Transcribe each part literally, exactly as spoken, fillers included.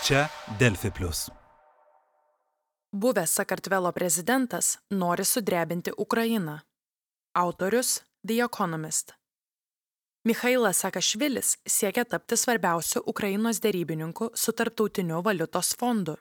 Čia Delfi plius. Buvęs Sakartvelo prezidentas nori sudrebinti Ukrainą. Autorius The Economist. Michailas Saakašvilis siekia tapti svarbiausiu Ukrainos derybininku su Tarptautiniu valiutos fondu.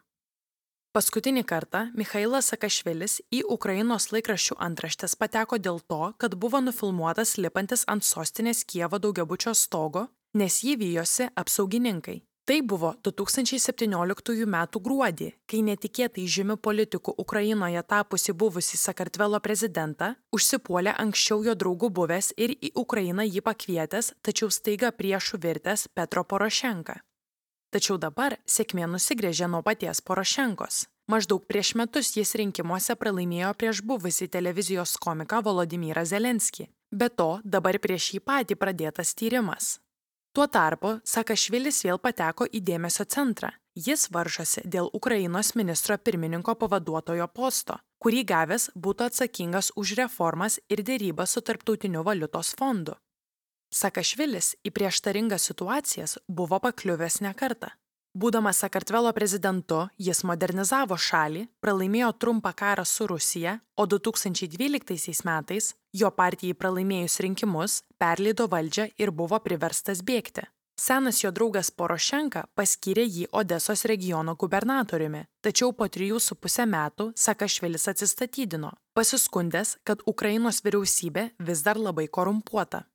Paskutinį kartą Michailas Saakašvilis į Ukrainos laikraščių antraštes pateko dėl to, kad buvo nufilmuotas lipantis ant sostinės Kijevo daugiabučio stogo, nes jį vijosi apsaugininkai. Tai buvo du tūkstančiai septynioliktųjų metų gruodį, kai netikėtai žymiu politiku Ukrainoje tapusi buvusi Sakartvelo prezidentą užsipuolė anksčiau jo draugų buvęs ir į Ukrainą jį pakvietęs, tačiau staiga priešų virtęs Petro Porošenka. Tačiau dabar sėkmė nusigręžė nuo paties Porošenkos. Maždaug prieš metus jis rinkimuose pralaimėjo prieš buvusį televizijos komiką Volodymyrą Zelenskį. Be to, dabar prieš jį patį pradėtas tyrimas. Tuo tarpu Saakašvilis vėl pateko į dėmesio centrą. Jis varžosi dėl Ukrainos ministro pirmininko pavaduotojo posto, kurį gavęs būtų atsakingas už reformas ir derybas su Tarptautiniu valiutos fondu. Saakašvilis į prieštaringas situacijas buvo pakliuvęs ne kartą. Būdamas Sakartvelo prezidentu, jis modernizavo šalį, pralaimėjo trumpą karą su Rusija, o du tūkstančiai dvyliktaisiais metais jo partijai pralaimėjus rinkimus perleido valdžią ir buvo priverstas bėgti. Senas jo draugas Porošenka paskyrė jį Odesos regiono gubernatoriumi, tačiau po trijų su pusę metų Saakašvilis atsistatydino, pasiskundęs, kad Ukrainos vyriausybė vis dar labai korumpuota.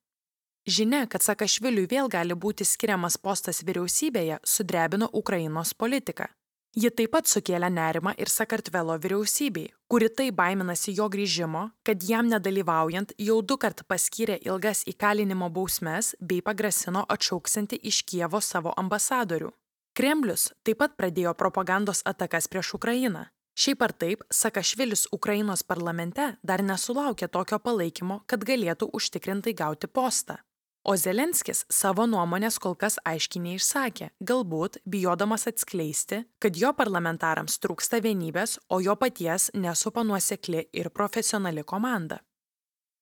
Žinia, kad Saakašviliui vėl gali būti skiriamas postas vyriausybėje, sudrebino Ukrainos politiką. Ji taip pat sukėlė nerimą ir Sakartvelo vyriausybei, kuri taip baiminasi jo grįžimo, kad jam nedalyvaujant jau du kart paskyrė ilgas įkalinimo bausmes bei pagrasino atšauksinti iš Kijevo savo ambasadorių. Kremlius taip pat pradėjo propagandos atakas prieš Ukrainą. Šiaip ar taip, Saakašvilis Ukrainos parlamente dar nesulaukė tokio palaikymo, kad galėtų užtikrintai gauti postą. O Zelenskis savo nuomonės kol kas aiškiai neišsakė, galbūt bijodamas atskleisti, kad jo parlamentarams trūksta vienybės, o jo paties nesupa nuosekli ir profesionali komanda.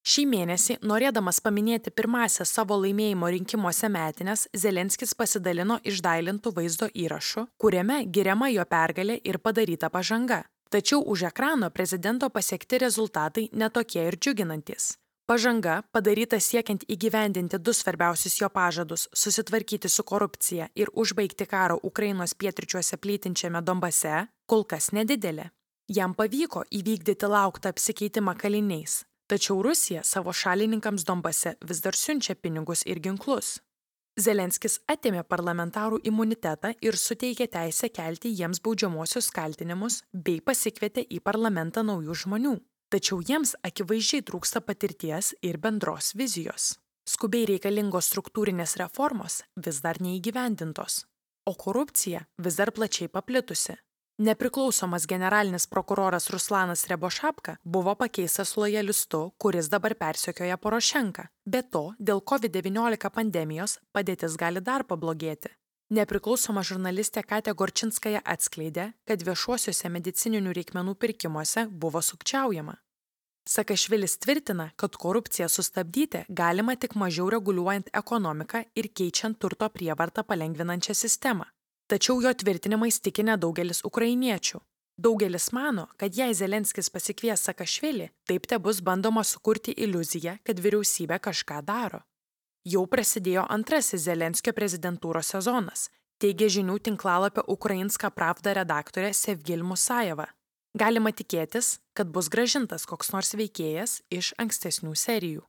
Šį mėnesį, norėdamas paminėti pirmąsias savo laimėjimo rinkimuose metines, Zelenskis pasidalino išdailintų vaizdo įrašu, kuriame giriama jo pergalė ir padaryta pažanga. Tačiau už ekrano prezidento pasiekti rezultatai netokie ir džiuginantys. Pažanga, padaryta siekiant įgyvendinti du svarbiausius jo pažadus – susitvarkyti su korupcija ir užbaigti karo Ukrainos pietryčiuose plytinčiame Donbase, kol kas nedidelė. Jam pavyko įvykdyti lauktą apsikeitimą kaliniais, tačiau Rusija savo šalininkams Donbase vis dar siunčia pinigus ir ginklus. Zelenskis atėmė parlamentarų imunitetą ir suteikė teisę kelti jiems baudžiamuosius kaltinimus bei pasikvietė į parlamentą naujų žmonių. Tačiau jiems akivaizdžiai trūksta patirties ir bendros vizijos. Skubiai reikalingos struktūrinės reformos vis dar neįgyvendintos, o korupcija vis dar plačiai paplitusi. Nepriklausomas generalinis prokuroras Ruslanas Rebošapka buvo pakeistas lojalistu, kuris dabar persekioja Porošenką. Be to, dėl kovid devyniolika pandemijos padėtis gali dar pablogėti. Nepriklausoma žurnalistė Katė Gorčinskaja atskleidė, kad viešuosiuose medicininių reikmenų pirkimuose buvo sukčiaujama. Saakašvilis tvirtina, kad korupciją sustabdyti galima tik mažiau reguliuojant ekonomiką ir keičiant turto prievartą palengvinančią sistemą. Tačiau jo tvirtinimais tiki nedaugelis ukrainiečių. Daugelis mano, kad jei Zelenskis pasikvies Saakašvilį, taip te bus bandoma sukurti iliuziją, kad vyriausybė kažką daro. Jau prasidėjo antrasis Zelenskio prezidentūros sezonas, teigia žinių tinklalapio Ukrainska Pravda redaktorė Sevgil Musajeva. Galima tikėtis, kad bus grąžintas koks nors veikėjas iš ankstesnių serijų.